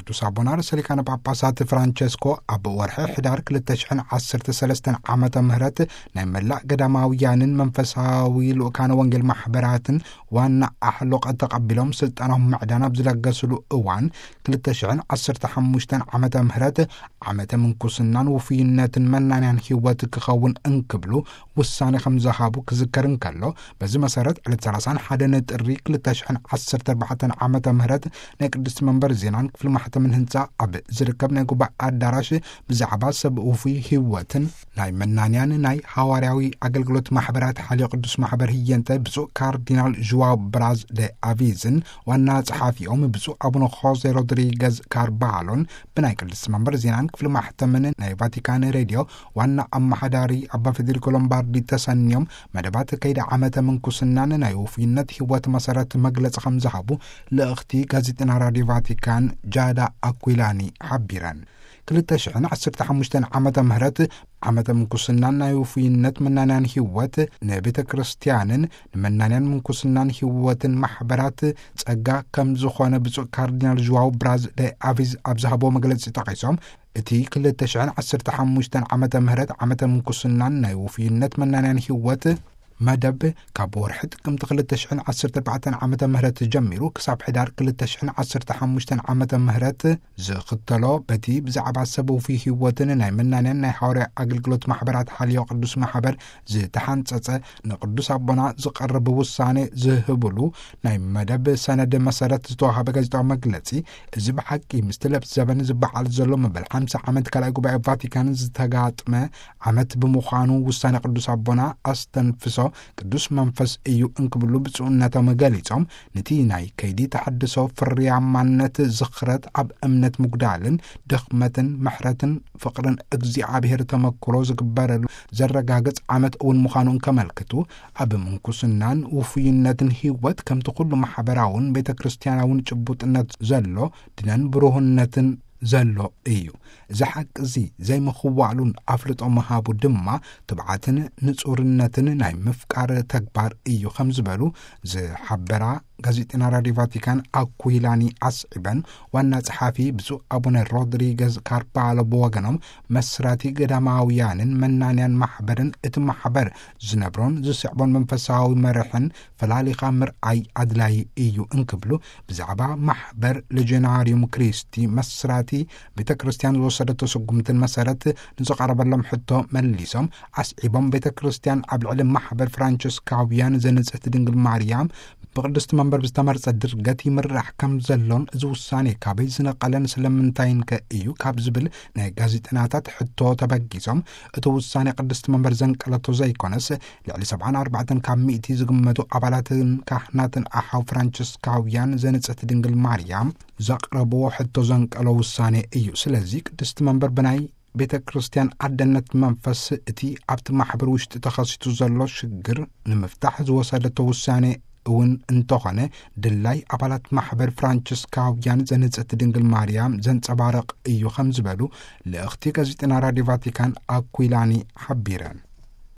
ቅዱስ ኣቦና ርእሰ ሊቃነ ጳጳሳት ፍራንቸስኮ ኣብ ወርሒ ሕዳር ክልተ ሽሕን ዓሰርተ ሰለስተን ዓመተ ምህረት ናይ መላእ ገዳማውያንን መንፈሳዊ ልኡካነ ወንጌል ማሕበራትን ዋና ኣሕሎቐ ተቐቢሎም ስልጣኖም ምዕዳን ኣብ ዝለገስሉ እዋን፣ ክልተ ሽሕን ዓሰርተ ሓሙሽተን ዓመተ ምህረት ዓመተ ምንኩስናን ውፉይነትን መናንያን ህይወት ክኸውን እንክብሉ ውሳኔ ከም ዝሃቡ ክዝከር እንከሎ፣ በዚ መሰረት ዕለት ሰላሳን ሓደን ጥሪ ክልተ ሽሕን ዓሰርተ ኣርባዕተን ዓመተ ምህረት ናይ ቅድስቲ መንበር ዜናን ክፍሊ ማሕተምን ህንጻ ኣብ ዝርከብ ናይ ጉባኤ ኣዳራሽ ብዛዕባ ሰብ ውፉይ ህይወትን ናይ መናንያን ናይ ሃዋርያዊ ኣገልግሎት ማሕበራት ሓልዮ ቅዱስ ማሕበር ህየንተ ብፁዕ ካርዲናል ዥዋው ብራዝ ደ ኣቪዝን ዋና ጸሓፊኦም ብፁዕ ኣቡነ ሆዜ ሮድሪገዝ ካርባሎን ብናይ ቅድስቲ መንበር ዜናን ክፍሊ ማሕተምን ናይ ቫቲካን ሬድዮ ዋና ኣመሓዳሪ ኣባ ፌዴሪኮ ሎምባርዲ ተሰንዮም መደባት ከይዲ ዓመተ ምንኩስናን ናይ ውፉይነት ህይወት መሰረት መግለጺ ከም ዝሃቡ ልእኽቲ ጋዜጠና ራድዮ ቫቲካን ጃዳ ኣኩላኒ ሓቢረን። ክልተ ሽሕን ዓሰርተ ሓሙሽተን ዓመተ ምህረት ዓመተ ምንኩስናን ናይ ውፉይነት መናንያን ህይወት ንቤተ ክርስቲያንን ንመናንያን ምንኩስናን ህይወትን ማሕበራት ጸጋ ከም ዝኾነ ብፁዕ ካርዲናል ዥዋው ብራዝ ደ ኣቪዝ ኣብ ዝሃቦ መግለጺ ጠቒሶም፣ እቲ ክልተ ሽሕን ዓሰርተ ሓሙሽተን ዓመተ ምህረት ዓመተ ምንኩስናን ናይ ውፉይነት መናንያን ህይወት መደብ ካብ ወርሒ ጥቅምቲ ክልተ ሽሕን ዓሰርተ ኣርባዕተን ዓመተ ምህረት ጀሚሩ ክሳብ ሕዳር ክልተ ሽሕን ዓሰርተ ሓሙሽተን ዓመተ ምህረት ዝኽተሎ፣ በቲ ብዛዕባ ሰብ ውፉይ ህይወትን ናይ መናንያን ናይ ሃዋርያ ኣገልግሎት ማሕበራት ሓልዮ ቅዱስ ማሕበር ዝተሓንጸጸ ንቅዱስ ኣቦና ዝቐርብ ውሳኔ ዝህብሉ ናይ መደብ ሰነድ መሰረት ዝተዋሃበ ጋዜጣዊ መግለጺ፣ እዚ ብሓቂ ምስቲ ለብሲ ዘበን ዝበዓል ዘሎ መበል ሓምሳ ዓመት ካልኣይ ጉባኤ ቫቲካን ዝተጋጥመ ዓመት ብምዃኑ ውሳኔ ቅዱስ ኣቦና ኣስተንፍሶ ቅዱስ መንፈስ እዩ እንክብሉ ብፁዕነቶም ገሊጾም፣ ነቲ ናይ ከይዲ ተሐድሶ ፍርያማነት ዝኽረት ኣብ እምነት ምጉዳልን ድኽመትን ምሕረትን ፍቕርን እግዚኣብሔር ተመክሮ ዝግበረሉ ዘረጋግጽ ዓመት እውን ምዃኑ እንከመልክቱ፣ ኣብ ምንኩስናን ውፉይነትን ህይወት ከምቲ ኩሉ ማሕበራውን ቤተ ክርስቲያናውን ጭቡጥነት ዘሎ ድነን ብሩህነትን ዘሎ እዩ። እዚ ሓቂ እዚ ዘይምኽዋሉን ኣፍልጦ ምሃቡ ድማ ትብዓትን ንጹርነትን ናይ ምፍቃር ተግባር እዩ ከም ዝበሉ ዝሓበራ ጋዜጠና ራድዮ ቫቲካን ኣኩይላኒ ኣስዒበን፣ ዋና ጸሓፊ ብፁዕ ኣቡነ ሮድሪገዝ ካርባሎ ብወገኖም መስራቲ ገዳማውያንን መናንያን ማሕበርን እቲ ማሕበር ዝነብሮን ዝስዕቦን መንፈሳዊ መርሕን ፈላሊኻ ምርኣይ ኣድላዪ እዩ እንክብሉ ብዛዕባ ማሕበር ሌጀናሪዩም ክሪስቲ መስራቲ ቤተ ክርስቲያን ዝወሰደቶ ስጉምትን መሰረት ንዝቐረበሎም ሕቶ መሊሶም ኣስዒቦም፣ ቤተ ክርስቲያን ኣብ ልዕሊ ማሕበር ፍራንቸስካውያን ዘንጽህቲ ድንግል ማርያም ብቅድስቲ መንበር ብዝተመርጸ ድርገት ይምራሕ ከም ዘሎን እዚ ውሳኔ ካበይ ዝነቐለን ስለምንታይን ከ እዩ ካብ ዝብል ናይ ጋዜጠናታት ሕቶ ተበጊሶም፣ እቲ ውሳኔ ቅድስቲ መንበር ዘንቀለቶ ዘይኮነስ ልዕሊ ሰብዓን ኣርባዕተን ካብ ሚእቲ ዝግመቱ ኣባላትን ካህናትን ኣሓው ፍራንቸስካውያን ዘንጽህቲ ድንግል ማርያም ዘቕረብዎ ሕቶ ዘንቀሎ ውሳኔ እዩ። ስለዚ ቅድስቲ መንበር ብናይ ቤተ ክርስቲያን ኣደነት መንፈስ እቲ ኣብቲ ማሕበር ውሽጢ ተኸሲቱ ዘሎ ሽግር ንምፍታሕ ዝወሰደቶ ውሳኔ እውን እንተኾነ ድላይ ኣባላት ማሕበር ፍራንቸስካውያን ዘንጽህቲ ድንግል ማርያም ዘንጸባርቕ እዩ ከም ዝበሉ ልእኽቲ ጋዜጠና ራድዮ ቫቲካን ኣኩይላኒ ሓቢረን።